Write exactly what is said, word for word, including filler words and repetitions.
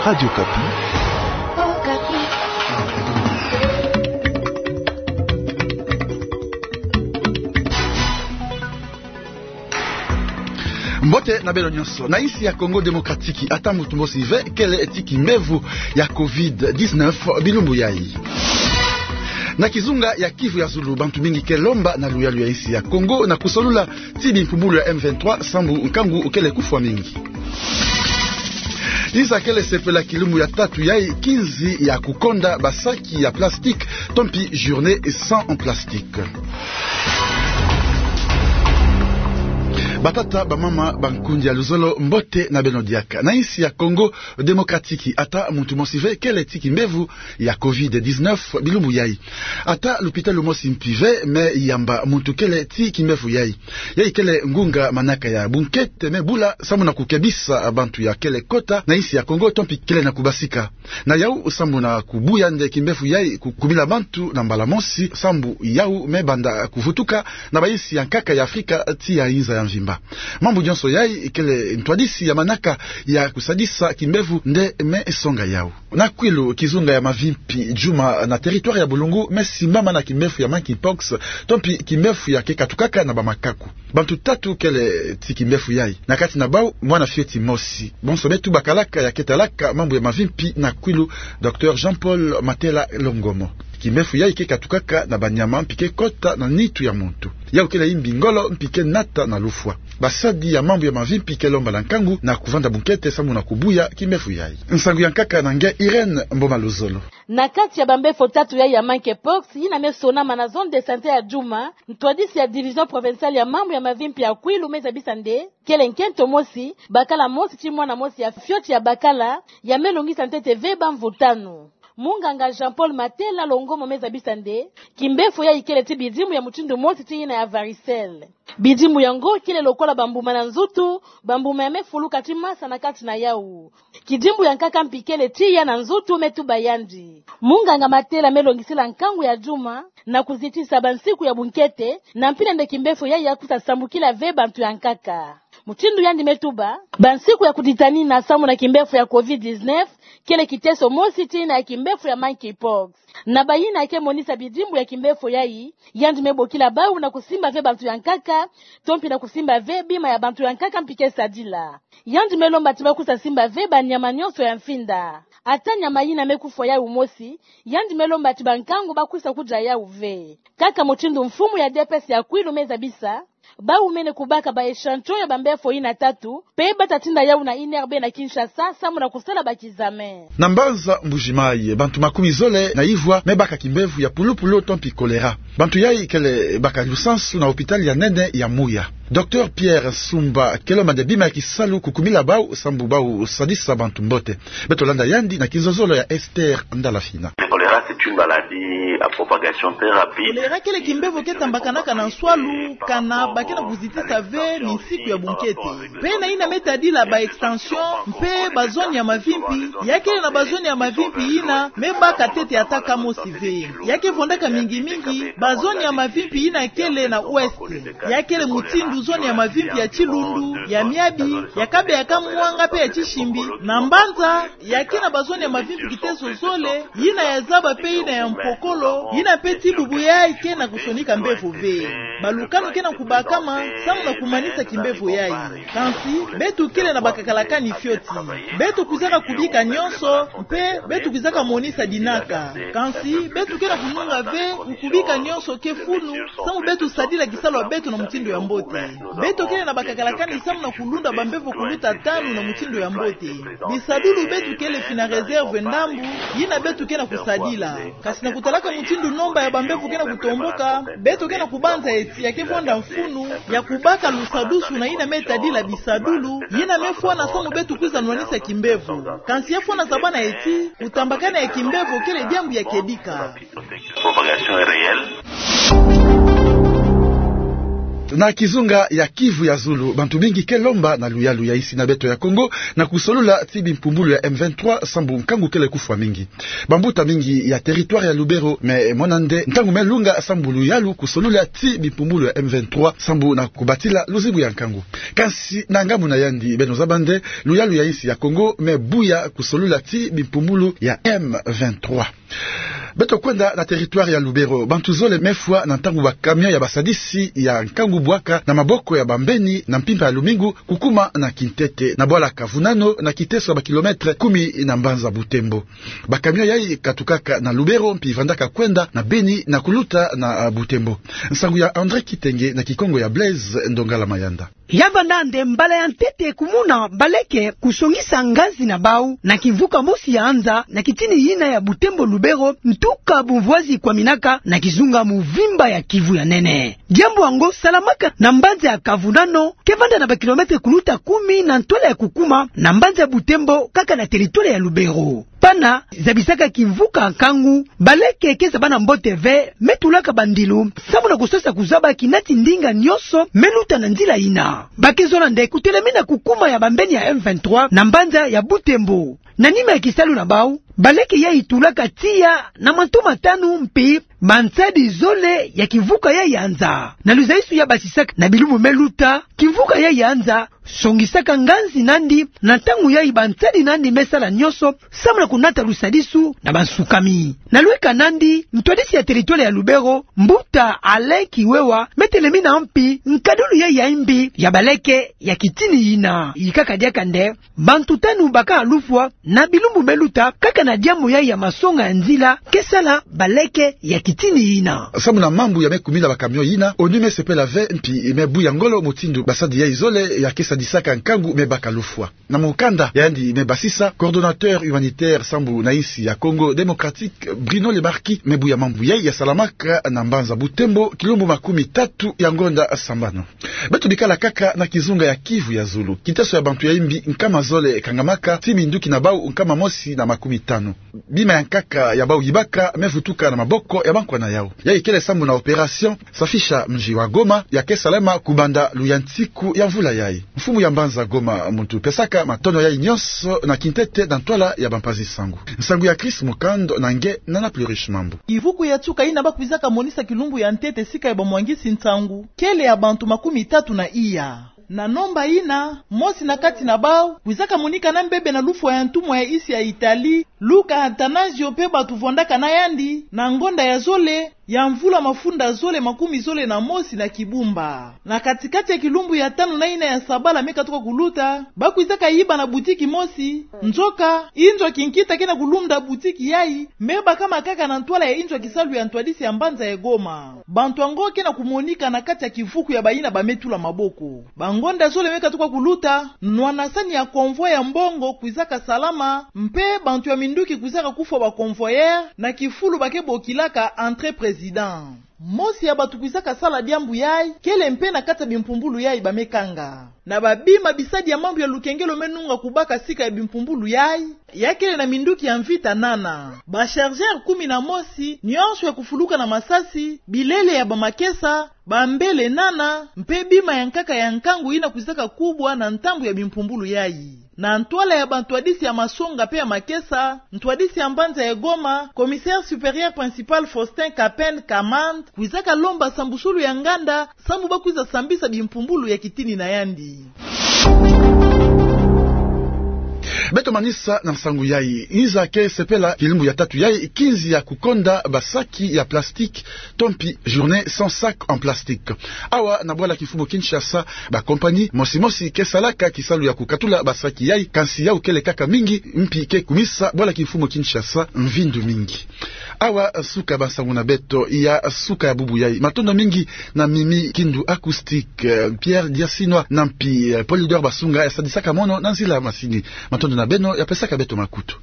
Radio Okapi. Mbote na beno nyonso. Na insi ya Congo Démocratique, ata muntu mosi ve kele ti kimbevo ya covid dix-neuf bilumbu yai. Na kizunga ya Kivu ya Zulu, bantu mingi ke lomba na luyalu ya insi ya Congo na kusolula ti bimpumbulu ya M vingt-trois, sambu nkangu kele kufwa mingi. Inza kele sepela kilumbu ya tatu yai, kinzi ya kukonda basaki ya plastique, to mpi journée sans plastique. Batata, bamama, bankundi ya luzolo, mbote na beno diaka. Na insi ya Congo Démocratique, ata muntu mosi ve kele ti kimbevo ya covid dix-neuf bilumbu yai. Ata lupitalu mosi mpi ve me yamba muntu kele ti kimbevo yai. Yai kele ngunga manaka ya bunkete me bula, sambu na kukebisa bantu ya kele kota na insi ya Congo, to mpi kele na kubasika. Na yau, sambu na kubuya nde kimbevo yai ku-, kubila bantu na mbala mosi, sambu yau me banda kuvutuka na bainsi ya nkaka ya Afrika tii ya inza ya mvimba. Mambu nyonso yai kele ntwadisi ya manaka ya kusadisa kimbevo nde me songa yau. Na Kwilu, kizunga ya mavimpi Djuma na territoire ya Boulungu me simbama na kimbevo ya monkeypox, to mpi kimbevo ya ke katukaka na bamakaku. Bantu tatu kele ti kimbevo yai. Na kati na bau, mwana fioti mosi. Bonso beto bakalaka ya ke talaka mambu ya mavimpi na Kwilu, Docteur Jean-Paul Matela Longomo. Kimbevo yai ke katukaka na banyama mpi ke kota na nitu ya muntu. Yau kele imbi ngolo mpi ke nata na lufwa. Basadi ya mambu ya mavimpi ke lomba na nkangu na kuvanda bunkete sambu na kubuya kimbevo yai. Nsangu ya nkaka na nge Irène Mboma Luzolo. Na kati ya bambevo tatu yai ya monkeypox, yina me sonama na zone de santé ya Djuma, ntwadisi ya division provinciale ya mambu ya mavimpi ya Kwilu me zabisa nde kele nkento mosi, bakala mosi ti mwana mosi ya fioti ya bakala, ya me longisa ntete ve bamvu tanu. Munganga Jean-Paul Matela Longomo me zabisa nde kimbevo yai kele ti bidimbu ya mutindu mosi ti yina ya varicelle. Bidimbu yango kele lokola bambuma na nzutu, bambuma ya me fuluka ti masa na kati na yau. Kidimbu ya nkaka mpi kele ti ya na nzutu me tuba yandi. Munganga Matela me longisila nkangu ya Djuma na kuzitisa bansiku ya bunkete, na mpila nde kimbevo yai ya kusa sambukila ve bantu ya nkaka. Mutindu yandi me tuba, bansiku ya kuditanina sambu na kimbevo ya covid dix-neuf kele kiteso mosi ti yina ya kimbevo ya monkeypox. Na bayina ke monisa bidimbu ya kimbevo yai, yandi me bokila bau na kusimba ve bantu ya nkaka, to mpi na kusimba ve bima ya bantu ya nkaka mpi ke sadila. Yandi me lomba ti ba kusa simba ve banyama nyonso ya mfinda. Ata nyama yina me kufwa yau mosi, yandi me lomba ti bankangu ba kusa kudia yau ve. Kaka mutindu mfumu ya D P S ya Kwilu me zabisa, ba umene kubaka ba échantillon ya bambevo yina tatu, mpe ba ta tinda yau na I N R B na Kinshasa, sambu na kusala ba kizame. Na mbanza Mbuji-Mayi, bantu makumi zole na ivwa me baka kimbevo ya pulupulu to mpi choléra. Bantu yai kele baka lusansu na hôpital ya nene ya Muya. Docteur Pierre Sumba ke lomba nde bima ya kisalu kukumila bau sambu bau sadisa bantu mbote. Beto landa yandi na kinzozolo ya Esther Ndalafina. Le choléra, c'est une maladie à propagation très rapide. Choléra kele kimbevo ke tambakanaka na nswalu, kana ba ke na kuzitisa ve minsiku ya bunkete. Mpe na yina me tadila ba extension mpe ba zone ya mavimpi, ya kele na ba zone ya mavimpi yina me baka ntete ata ka mosi ve. Ya ke vondaka mingi mingi ba zone ya mavimpi yina kele na ouest. Ya kele mutindu zone ya mavimpi ya Tshilundu, ya Miabi, ya Kabeya-Kamwanga mpe ya Tshisimbi, na Mbanza, ya ke na ba zone ya mavimpi kiteso zole, yina ya Zaba mpe yina ya Mpokolo, yina mpe ti bubu yai ke na kusonika mbevo ve. Balukanu ke na kubakama, sambu na kumanisa kimbevo yai. Kansi, beto kele na bakakalakani fioti. Beto kwizaka kubika nyonso, mpe beto kwizaka monisa dinaka. Kansi, beto ke na kununga ve, kubika nyonso ke funu, sambu beto sadila kisalu ya beto na mutindu ya mbote. Beto kele na bakakalakani sambu na kulunda bambevo kuluta tanu na mutindu ya mbote. Bisadulu beto kele fina réserve ndambu, yina beto ke na kusadila. Kansi na kutalaka mutindu nomba ya bambevo ke na kutomboka, beto ke na kubanza eti ya ke vwanda mfunu ya kubaka lusadusu na yina me tadila bisadulu, yina me fwana sambu beto kwiza nwanisa kimbevo. Kansi ya fwana zabana eti, kutambakana ya kimbevo kele diambu ya kedika. Propagation est réelle. Na kizunga ya Kivu ya zulu, bantu mingi ke lomba na luyalu ya insi na beto ya Kongo na kusolola ti bimpumbulu ya M vingt-trois, sambu nkangu kele kufwa mingi. Bambuta mingi ya territoire ya Lubero me mona nde ntangu me lunga sambu luyalu kusolola ti bimpumbulu ya M vingt-trois, sambu na kubatila luzibu ya nkangu. Kansi na ngambu na yandi, beno zaba nde luyalu ya insi ya Kongo me buya kusolola ti bimpumbulu ya M vingt-trois. Beto kwenda na territoire ya Lubero, bantu zole me fwa na ntangu ba camion ya basadisi ya nkangu bwaka na maboko ya bambeni na mpimpa ya lumingu, kukuma na kintete na bwala Kavunano, na kiteso ya ba kilomètre kumi na mbanza Butembo. Ba camion yai katukaka na Lubero mpi vandaka kwenda na Beni na kuluta na, ah, Butembo. Nsangu ya André Kitenge na Kikongo ya Blaise Ndongala Mayanda. Ya vanda nde mbala ya ntete kumona baleke kusongisa nganzi na bau na kimvuka mosi ya anza na kitini yina ya Butembo Lubero, ntuka bumvwazi kwaminaka na kizunga muvimba ya Kivu ya nene. Diambu yango salamaka na mbanza ya Kavunano, ke vanda na ba kilomètre kuluta kumi na ntwala ya kukuma na mbanza ya Butembo, kaka na territoire ya Lubero. Pana zabisaka kimvuka nkangu, baleke ke zaba na mbote ve, me tulaka bandilu sambu na kusosa kuzaba kinati ndinga nyonso me luta na nzila yina. Ba ke zola nde kutelemina kukuma ya bambeni ya M vingt-trois na mbanza ya Butembo. Na nima ya kisalu na bau, baleke yai tulaka tiya na mantu matanu mpi mansadi zole ya kimvuka yai ya anza. Na luzaisu ya basisaka na bilumbu me luta, kimvuka yai ya anza songisaka nganzi nandi, na ntangu yai bansadi nandi me sala nyonso sambu na kunata lusadisu na bansukami. Na lweka nandi, ntwadisi ya territoire ya Lubero, mbuta Alain Kiwewa, me telemina mpi nkadulu yai ya imbi ya baleke ya kitini yina. Yikaka diaka nde bantu tanu baka lufwa na bilumbu me luta, kaka na diambu yai ya masonga ya nzila ke sala baleke ya kitini yina. Sambu na mambu ya me kumina ba camion yina, ONU me sepela ve mpi me buya ngolo mutindu basadi yai zole ya ke sadisaka nkangu me baka lufwa. Na mukanda ya yandi me basisa, coordonnateur humanitaire sambu na insi ya Congo Démocratique, Bruno Lemarquis, me buya mambu yai ya salamaka na mbanza Butembo, kilumbu makumi tatu ya ngonda sambanu. Beto bikala kaka na kizunga ya Kivu ya zulu. Kiteso ya bantu ya imbi nkama zole kangamaka, ti minduki na bau nkama mosi na makumi tanu. Bima ya nkaka ya bau yibaka me vutuka na maboko ya bankwa na yau. Yai kele sambu na opération Safisha Mji wa Goma ya ke salama kubanda luyantiku ya mvula yai. Mfumu ya mbanza Goma muntu pesaka matono yai nyonso na kintete na ntwala ya bampanzi-nsangu. Nsangu ya Chris Mukando na nge Nana Plurish Mambu. Kivuku ya nsuka yina ba kwizaka monisa kilumbu ya ntete sika ya bamwangisi-nsangu kele ya bantu makumi tatu na iya. Na nomba yina, mosi na kati na bau kwizaka monika na mbebe na lufwa ya ntumwa ya insi ya Italie, Luca Attanasio, mpe bantu vwandaka na yandi na ngonda ya zole ya mvula mafunda zole makumi zole na mosi na Kibumba. Na kati-kati ya kilumbu ya tanu na yina ya sabala me katuka kuluta, ba kwizaka yiba na boutique mosi, nzoka inzo ya kinkita ke na kulumda boutique yai, me bakama kaka na ntwala ya inzo ya kisalu ya ntwadisi ya mbanza ya Goma. Bantu yango ke na kumonika na kati ya kivuku ya bayina ba me tula maboko. Bangonda zole me katuka kuluta, nwanasani ya convoi ya mbongo kwizaka salama, mpe bantu ya minduki kwizaka kufwa ba convoyeur na kifulu ba ke bokilaka Entrée Président. Mosi ya bantu kwizaka sala diambu yai kele mpe na kati ya bimpumbulu yai ba me kanga. Na babima bisadi ya mambu ya lukengelo me nunga kubaka sika ya bimpumbulu yai, ya kele na minduki ya mvita nana, ba chargeur kumi na mosi, nyonso ya kufuluka na masasi, bilele ya bamakesa, bambele nana, mpe bima ya nkaka ya nkangu yina kwizaka kubwa na ntambu ya bimpumbulu yai. Na ntwala ya bantwadisi ya masonga mpe ya makesa, ntwadisi ya mbanza ya Goma, commissaire supérieur principal Faustin Kapen Kamand, kwizaka lomba sambusulu ya nganda, sambu ba kwiza sambisa bimpumbulu ya kitini na yandi. Beto manisa na nsangu yai. Inza ke sepela kilumbu ya tatu yai kinzi ya kukonda basaki ya plastique, to mpi journée sans sac en plastique. Awa na bwala kimfumu Kinshasa, ba compagnie mosi-mosi ke salaka kisalu ya kukatula basaki yai, kansi yau kele kaka mingi, mpi ke kumisa bwala kimfumu Kinshasa mvindu mingi. Awa suka bansangu na beto ya suka ya bubu yai. Matondo mingi na Mimi Kindu Acoustique, eh, Pierre Diasinwa na mpi, eh, Polydor Basunga ya sadisaka mono na nzila masini. Matondo na beno ya pesaka beto makutu.